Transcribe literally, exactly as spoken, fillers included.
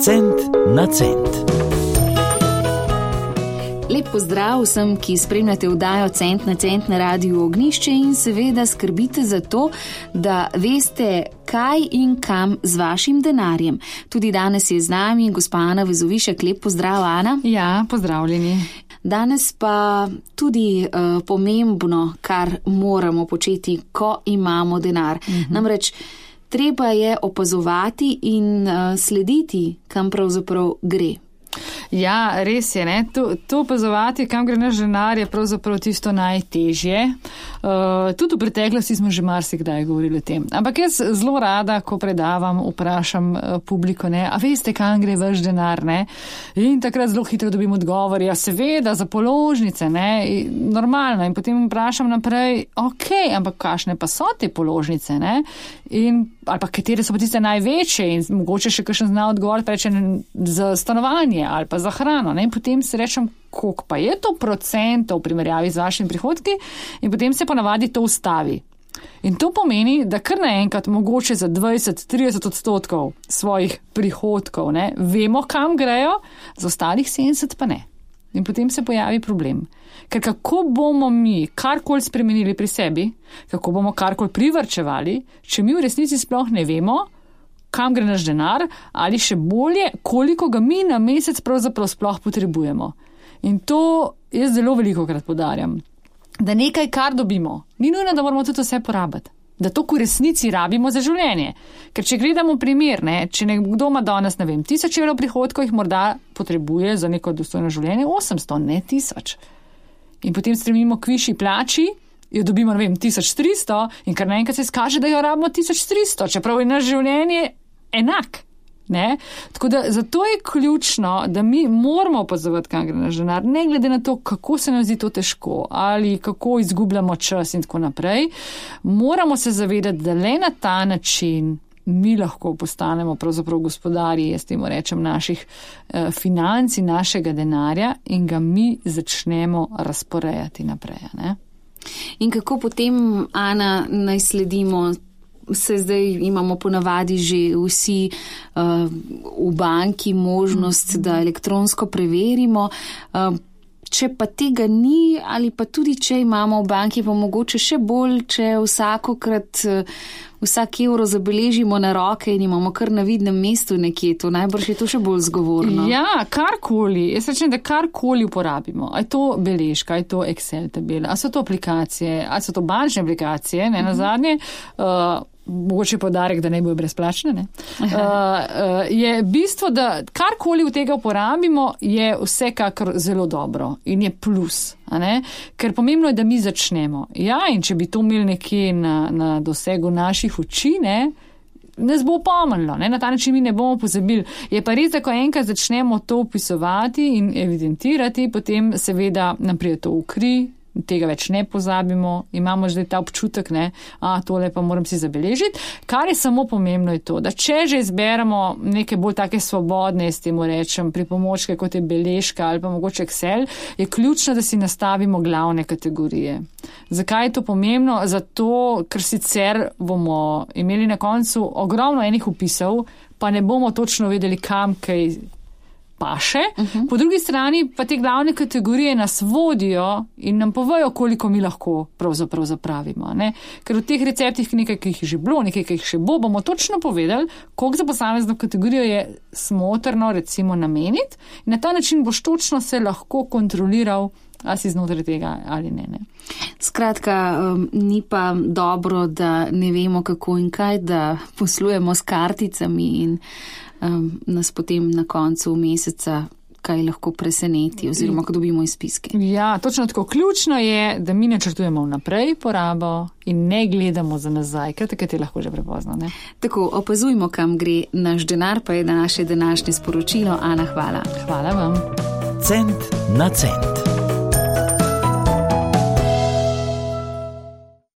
Cent na cent. Lep pozdrav vsem, ki spremljate vdajo Cent na cent na Radiu Ognjišče in seveda skrbite za to, da veste, kaj in kam z vašim denarjem. Tudi danes je z nami gospa Ana Vezovišek. Lep pozdrav, Ana. Ja, pozdravljeni. Danes pa tudi uh, pomembno, kar moramo početi, ko imamo denar. Uh-huh. Namreč treba je opazovati in uh, slediti, kam pravzaprav gre. Ja, res je, ne. To, to opazovati, kam gre naš denar, je pravzaprav tisto najtežje. Uh, tudi v preteklosti smo že marsikdaj govorili o tem. Ampak jaz zelo rada, ko predavam, vprašam uh, publiko, ne, a veste, kam gre vaš denar, ne? In takrat zelo hitro dobim odgovor, ja, seveda, za položnice, ne, in normalno. In potem vprašam naprej, ok, ampak kakšne pa so te položnice, ne? In, ali pa katere so pa tiste največje in mogoče še kakšen zna odgovor, reče za stanovanje ali pa za hrano, ne? In potem se rečem, koliko pa je to procentov v primerjavi z vašimi prihodki, in potem se ponavadi to ustavi. In to pomeni, da kar naenkrat mogoče za dvajset do trideset odstotkov svojih prihodkov, ne, vemo, kam grejo, za ostalih sedemdeset pa ne. In potem se pojavi problem. Ker kako bomo mi karkoli spremenili pri sebi, kako bomo karkoli privarčevali, če mi v resnici sploh ne vemo, kam gre naš denar, ali še bolje, koliko ga mi na mesec pravzaprav sploh potrebujemo. In to jaz zelo veliko krat poudarjam, da nekaj, kar dobimo, ni nujno, da moramo tudi vse porabiti. Da to v resnici rabimo za življenje. Ker če gledamo primer, ne, če nekdo ima danes, ne vem, tisoč evrov prihodkov, jih morda potrebuje za neko dostojno življenje osemsto, ne tisoč. In potem stremimo k višji plači, jo dobimo, ne vem, tisoč tristo in kar naenkrat se izkaže, da jo rabimo tisoč tristo, čeprav je naš življenje enak. Ne? Tako da zato je ključno, da mi moramo opazovati, kam gre naš denar, ne glede na to, kako se nam zdi to težko ali kako izgubljamo čas in tako naprej. Moramo se zavedati, da le na ta način mi lahko postanemo pravzaprav gospodarji, jaz temu rečem, naših eh, financ in našega denarja in ga mi začnemo razporejati naprej. Ne? In kako potem, Ana, naj sledimo? Se zdaj imamo ponavadi že vsi uh, v banki možnost, da elektronsko preverimo. Uh, če pa tega ni ali pa tudi, če imamo v banki, pa mogoče še bolj, če vsakokrat uh, vsak evro zabeležimo na roke in imamo kar na vidnem mestu nekje, to najbrž je to še bolj zgovorno. Ja, karkoli. Jaz rečem, da karkoli uporabimo. A je to beležka, a je to Excel tabela, a so to aplikacije, a so to bančne aplikacije, ne, na zadnje. Uh, mogoče podarek, da ne bojo brezplačne, ne. Uh, uh, je bistvo, da karkoli v tega uporabimo, je vsekakor zelo dobro in je plus, a ne. Ker pomembno je, da mi začnemo. Ja, in če bi to imeli nekje na, na dosegu naših oči, ne, nas bo pomnilo, ne, na ta način mi ne bomo pozabili. Je pa res, da ko enkrat začnemo to upisovati in evidentirati, potem seveda nam pride to v kri, tega več ne pozabimo, imamo že ta občutek, ne, a tole pa moram si zabeležiti. Kar je samo pomembno je to, da če že izberemo neke bolj take svobodne, s temu rečem, pripomočke, kot je beležka ali pa mogoče Excel, je ključno, da si nastavimo glavne kategorije. Zakaj je to pomembno? Zato, ker sicer bomo imeli na koncu ogromno enih vpisov, pa ne bomo točno vedeli, kam kaj paše. Uh-huh. Po drugi strani pa te glavne kategorije nas vodijo in nam povejo, koliko mi lahko pravzaprav zapravimo. Ne? Ker v teh receptih nekaj, ki jih je že bilo, nekaj, ki jih še bo, bomo točno povedali, koliko za posamezno kategorijo je smotrno recimo nameniti in na ta način boš točno se lahko kontroliral, a si znotraj tega ali ne. ne. Skratka, um, ni pa dobro, da ne vemo kako in kaj, da poslujemo s karticami in Um, nas potem na koncu meseca kaj lahko preseneti oziroma ko dobimo izpiske. Ja, točno tako. Ključno je, da mi načrtujemo vnaprej porabo in ne gledamo za nazaj, ker takrat je lahko že prepozno. Ne? Tako, opazujmo, kam gre naš denar, pa je naše današnje sporočilo. Ana, hvala. Hvala vam. Cent na cent.